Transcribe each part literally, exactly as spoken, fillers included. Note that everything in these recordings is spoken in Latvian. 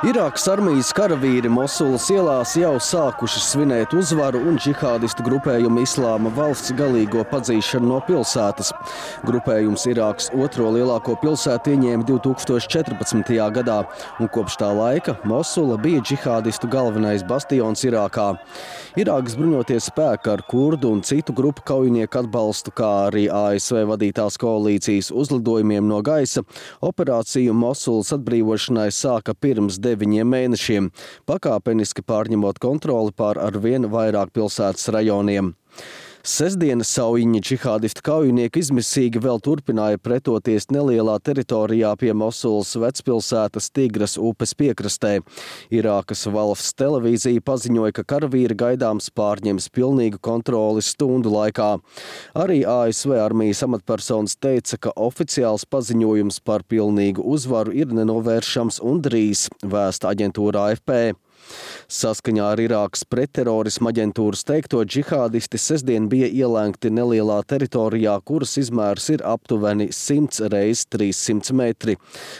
Irākas armijas karavīri Mosulas ielās jau sākuši svinēt uzvaru un džihādistu grupējumu Islāma valsts galīgo padzīšanu no pilsētas. Grupējums Irākas otro lielāko pilsētu ieņēma divi tūkstoši četrpadsmitajā gadā, un kopš tā laika Mosula bija džihādistu galvenais bastions Irākā. Irākas bruņoties spēki ar kurdu un citu grupu kaujinieku atbalstu, kā arī A S V vadītās koalīcijas uzlidojumiem no gaisa, operāciju Mosulas atbrīvošanai sāka pirms deviņiem mēnešiem, pakāpeniski pārņemot kontroli pār arvien vairāk pilsētas rajoniem. Sestdienas saujiņa džihādistu kaujinieki izmisīgi vēl turpināja pretoties nelielā teritorijā pie Mosulas vecpilsētas Tigras upes piekrastē. Irākas valsts televīzija paziņoja, ka karavīri gaidāms pārņems pilnīgu kontroli stundu laikā. Arī A S V armijas amatpersonas teica, ka oficiāls paziņojums par pilnīgu uzvaru ir nenovēršams un drīz, vēsta aģentūra A F P. Saskaņā ar Irākas pretterorisma aģentūras teikto, džihādisti sestdien bija ielēgti nelielā teritorijā, kuras izmērs ir aptuveni simts reiz trīssimts metri.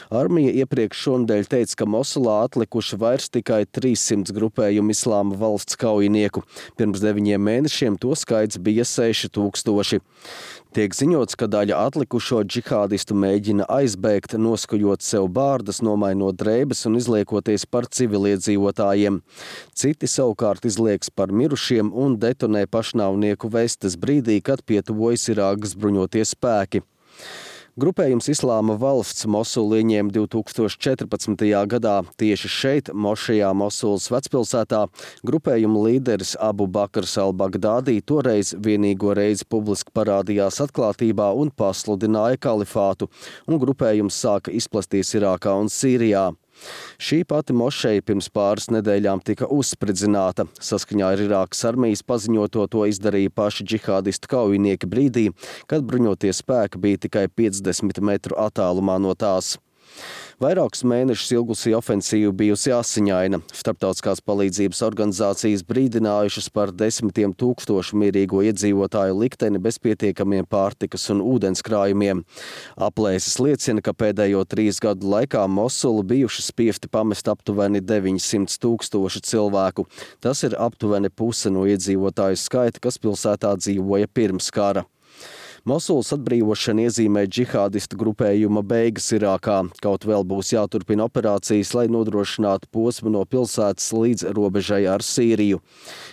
Armija iepriekš šonedēļ teica, ka Mosulā atlikuši vairs tikai trīssimts grupējumu Islāma valsts kaujinieku. Pirms deviņiem mēnešiem to skaits bija seši tūkstoši. Tiek ziņots, ka daļa atlikušo džihādistu mēģina aizbēgt, noskujot sev bārdas, nomainot drēbes un izliekoties par civiliedzīvotājiem. Citi savukārt izlieks par mirušiem un detonē pašnāvnieku vestes brīdī, kad pietuvojas Irākas bruņotie spēki. Grupējums Islāma valsts Mosulu ieņēma divi tūkstoši četrpadsmitajā gadā. Tieši šeit, Mošajā Mosulas vecpilsētā, grupējuma līderis Abu Bakrs al-Bagdādī toreiz vienīgo reizi publiski parādījās atklātībā un pasludināja kalifātu, un grupējums sāka izplasties Irākā un Sīrijā. Šī pati mošeja pirms pāris nedēļām tika uzspridzināta. Saskaņā ar Irākas armijas paziņoto to izdarīja paši džihādistu kaujinieki brīdī, kad bruņotie spēki bija tikai piecdesmit metru attālumā no tās. Vairākus mēnešus ilgusī ofensīva bijusi asiņaina. Starptautiskās palīdzības organizācijas brīdinājušas par desmitiem tūkstošu mierīgo iedzīvotāju likteni bez pietiekamiem pārtikas un ūdens krājumiem. Aplēses liecina, ka pēdējo trīs gadu laikā Mosulu bijuši spiesti pamest aptuveni deviņsimt tūkstoši cilvēku. Tas ir aptuveni puse no iedzīvotāju skaita, kas pilsētā dzīvoja pirms kara. Mosulas atbrīvošana iezīmē džihādistu grupējuma beigas Irākā. Kaut vēl būs jāturpina operācijas, lai nodrošinātu posmu no pilsētas līdz robežai ar Sīriju.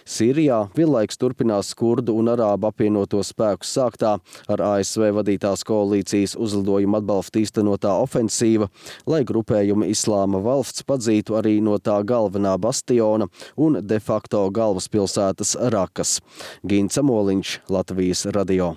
Sīrijā vienlaikus turpinās kurdu un arābu apvienoto spēku sāktā ar A S V vadītās koalīcijas uzlidojumu atbalstu īstenotā ofensīva, lai grupējuma Islāma valsts padzītu arī no tā galvenā bastiona un de facto galvaspilsētas Rakas. Gints Amoliņš, Latvijas radio.